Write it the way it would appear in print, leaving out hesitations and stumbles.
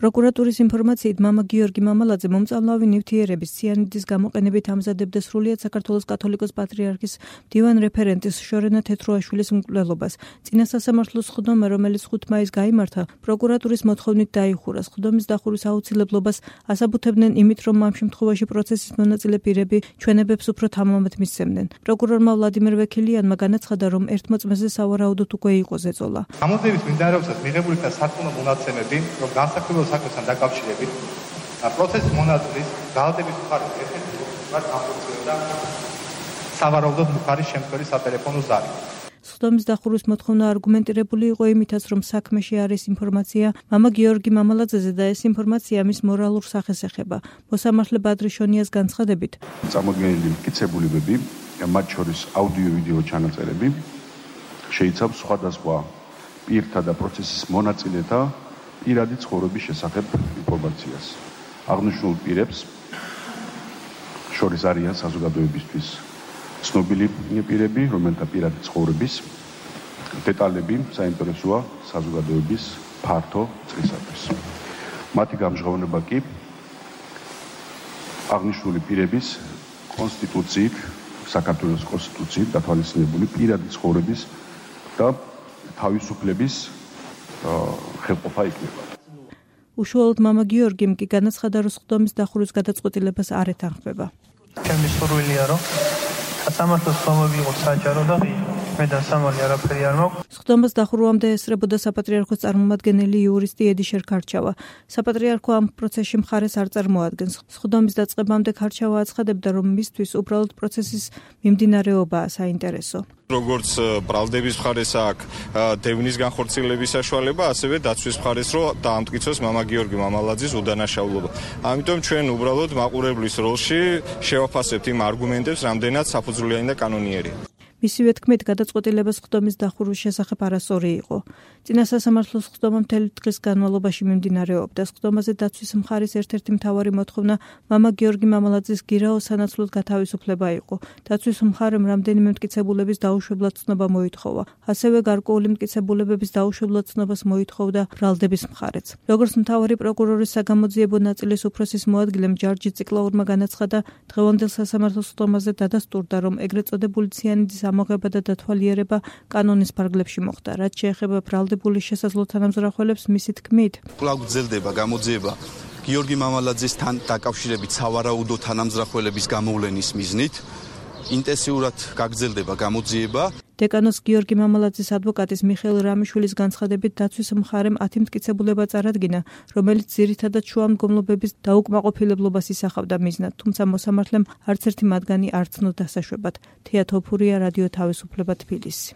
პროკურატურის ინფორმაციით, მამა გიორგი მამალაძე მომწამლავი ნივთიერების ციანიდის გამოყენებით ამზადებდა სრულიად საქართველოს კათოლიკოს პატრიარქის მდივან რეფერენტის შორენა თეთროაშვილის მკვლელობას. წინა სასამართლოს სხდომა, რომელიც 5 მაისს გაიმართა, პროკურატურის მოთხოვნით დაიხურა. სხდომის დახურვის აუცილებლობას ასაბუთებდნენ იმით, რომ ამ შემთხვევაში პროცესის მონაწილე პირები ჩვენებებს უფრო თამამად მისცემდნენ. პროკურორმა ვლადიმერ ვექილიანმა განაცხადა, რომ ერთ მოწმეზე სავარაუდოდ უკვე იყო ზეწოლა. გამოძიების მიმდინარეობისას მიღებული იქნა სარწმუნო მონაცემები, რომ განსაკუთრებულ საქმესთან დაკავშირებით პროცესის მონაწილის ძალადების მხარეს ერთ-ერთი მოხდომად განხორციელდა სავარაუდოდ მხარის შემცველი სატელეფონო ზარი. სხდომის დახურვის მოთხოვნა არგუმენტირებული იყო იმითაც, რომ საქმეში არის ინფორმაცია მამა გიორგი მამალაძეზე და ეს ინფორმაცია მის მორალურ სახეს ეხება. მოსამართლე ბადრი შონიას განცხადებით, წამოდგენილი მტკიცებულებები, მათ შორის აუდიო-ვიდეო ჩანაწერები, შეიცავს სხვადასხვა პირთა და პროცესის მონაწილეთა პირადი ცხოვრების შესახებ ინფორმაციას. აღნიშნულ პირებს შორის არიან საზოგადოებისთვის ცნობილი პირები, რომელთა პირადი ცხოვრების დეტალები საინტერესოა საზოგადოების ფართო წრისათვის. მათი გამჟღავნება კი აღნიშნული პირების კონსტიტუციით, საქართველოს კონსტიტუციით დათვალისწინებული პირადი ცხოვრების და თავისუფლების ხელყოფა იქნება. უშუალოდ მამა გიორგიმ კი განაცხადა, რომ სხდომის დახურვის გადაწყვეტილებას არ ეთანხმება. ჩემი სურვილია, რომ სასამართლოს სხდომები იყოს საჯარო და ღია. მე და სამალი არაფერი არ მაქვს. სხდომას დახურვამდე ესწრებოდა საპატრიარქოს წარმომადგენელი იურისტი ედიშერ ქარჩავა. საპატრიარქო ამ პროცესში მხარეს არ წარმოადგენს. სხდომის დაწყებამდე ქარჩავა აცხადებდა, რომ მისთვის უბრალოდ პროცესის მიმდინარეობაა საინტერესო. როგორც ბრალდების მხარეს აქვს დევნის განხორციელების საშუალება, ასევე დაცვის მხარეს რომ დაამტკიცოს მამა გიორგი მამალაძის უდანაშაულობა. ამიტომ ჩვენ უბრალოდ მაყურებლის როლში შევაფასებთ იმ არგუმენტებს, რამდენად საფუძვლიანი და კანონიერია. მისივე თქმით, გადაწყვეტილება სხდომის დახურვის შესახებ არასწორი იყო. წინა სასამართლოს სხდომა მთელი დღის განმავლობაში მიმდინარეობდა. სხდომაზე დაცვის მხარის ერთ-ერთი მთავარი მოთხოვნა მამა გიორგი მამალაძის გირაო სანაცვლოდ გათავისუფლება იყო. დაცვის მხარემ რამდენიმე მტკიცებულების დაუშვებლად ცნობა მოითხოვა. ასევე გარკვეული მტკიცებულებების დაუშვებლად ცნობას მოითხოვდა ბრალდების მხარეც. როგორც მთავარი პროკურორის საგამოძიებო ნაწილის უფროსის მოადგილემ ჯარჯი ციკლაურმა განაცხადა, დღევანდელ სასამართლოს სხდომაზე დადასტურდა, რომ ეგრეთ წოდებული ციანიდის ამოღება და დათვალიერება კანონის ფარგლებში მოხდა. რაც შეეხება ბრალდებული შესაძლო თანამზრახველებს, მისი თქმით, კვლავ გრძელდება გამოძიება გიორგი მამალაძესთან დაკავშირებით სავარაუდო თანამზრახველების გამოვლენის მიზნით. ინტენსიურად გაგრძელდება გამოძიება. დეკანოს გიორგი მამალაძის ადვოკატის მიხეილ რამიშვილის განცხადებით, დაცვის მხარემ 10 მტკიცებულება წარადგინა, რომელიც ძირითადად შუამდგომლობების დაუკმაყოფილებლობას ისახავდა მიზნად, თუმცა მოსამართლემ არც ერთი მათგანი არ ცნო დასაშვებად. თეა თოფურია, რადიო თავისუფლება, თბილისი.